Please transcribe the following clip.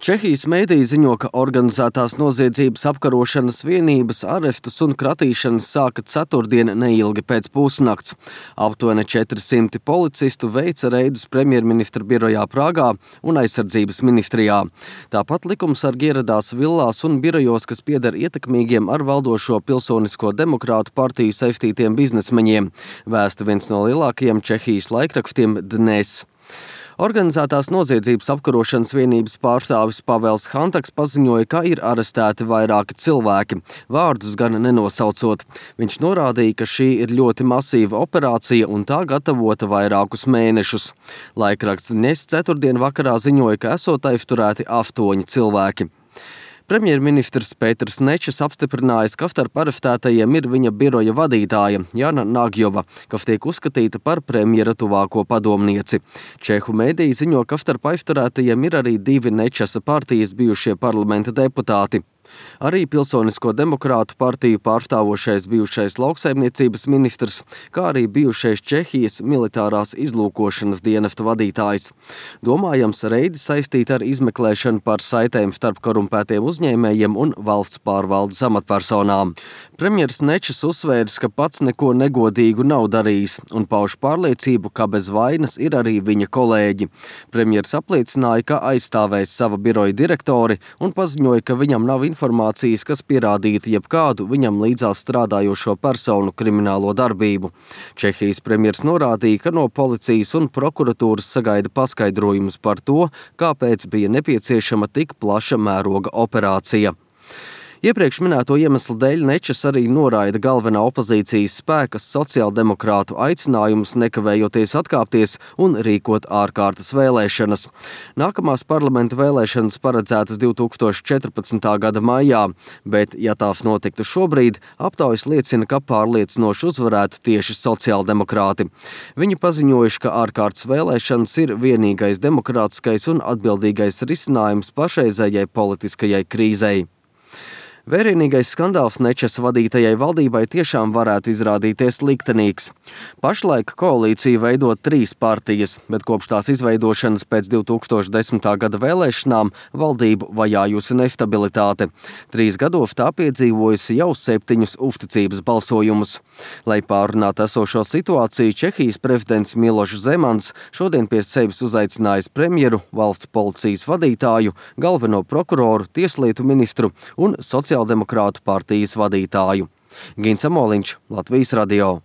Čehijas mēdīji ziņo, ka organizētās noziedzības apkarošanas vienības arestus un kratīšanas sāka ceturtdien neilgi pēc pusnakts. Aptuveni 400 policistu veica reidus premjerministra birojā Prāgā un aizsardzības ministrijā. Tāpat likumsargi ieradās villās un birojos, kas pieder ietekmīgiem ar valdošo Pilsonisko demokrātu partiju saistītiem biznesmeņiem, vēsta viens no lielākajiem Čehijas laikrakstiem Dnes. Organizētās noziedzības apkarošanas vienības pārstāvis Pavels Hantaks paziņoja, ka ir arestēti vairāki cilvēki, vārdus gan nenosaucot. Viņš norādīja, ka šī ir ļoti masīva operācija un tā gatavota vairākus mēnešus. Laikraksts Dnes ceturtdien vakarā ziņoja, ka esot aizturēti 8 cilvēki. Premjerministrs Pēters Nečes apstiprinājis, ka starp arestētajiem ir viņa biroja vadītāja Jana Nagyova, kas tiek uzskatīta par premjera tuvāko padomnieci. Čehu mēdīji ziņo, ka starp aizturētajiem ir arī 2 Nečesa partijas bijušie parlamenta deputāti. Arī Pilsonisko demokrātu partiju pārstāvošais bijušais lauksaimniecības ministrs, kā arī bijušais Čehijas militārās izlūkošanas dienesta vadītājs. Domājams, reidi saistīti ar izmeklēšanu par saitēm starp korumpētiem uzņēmējiem un valsts pārvaldes amatpersonām. Premjers Nečes uzsvērs, ka pats neko negodīgu nav darījis un pauž pārliecību, ka bez vainas ir arī viņa kolēģi. Premjers apliecināja, ka aizstāvēs sava biroja direktori un paziņoja, ka viņam nav informācijas, kas pierādītu jebkādu viņam līdzās strādājošo personu kriminālo darbību. Čehijas premjers norādīja, ka no policijas un prokuratūras sagaida paskaidrojumus par to, kāpēc bija nepieciešama tik plaša mēroga operācija. Iepriekš minēto iemeslu dēļ Nečes arī noraida galvenā opozīcijas spēka sociāldemokrātu aicinājumus nekavējoties atkāpties un rīkot ārkārtas vēlēšanas. Nākamās parlamenta vēlēšanas paredzētas 2014. gada maijā, bet, ja tās notiktu šobrīd, aptaujas liecina, ka pārliecinoši uzvarētu tieši sociāldemokrāti. Viņi paziņojuši, ka ārkārtas vēlēšanas ir vienīgais demokrātiskais un atbildīgais risinājums pašreizējai politiskajai krīzei. Vērienīgais skandāls Nečesa vadītajai valdībai tiešām varētu izrādīties liktenīgs. Pašlaik koalīciju veido 3 partijas, bet kopš tās izveidošanas pēc 2010. gada vēlēšanām valdību vajājusi nestabilitāte. 3 gados tā piedzīvojusi jau 7 uzticības balsojumus. Lai pārunātu esošo situāciju, Čehijas prezidents Milošs Zemans šodien pie sevis uzaicinājis premjeru, valsts policijas vadītāju, galveno prokuroru, tieslietu ministru un Sociāldemokrātu partijas vadītāju. Gins Amoliņš, Latvijas radio.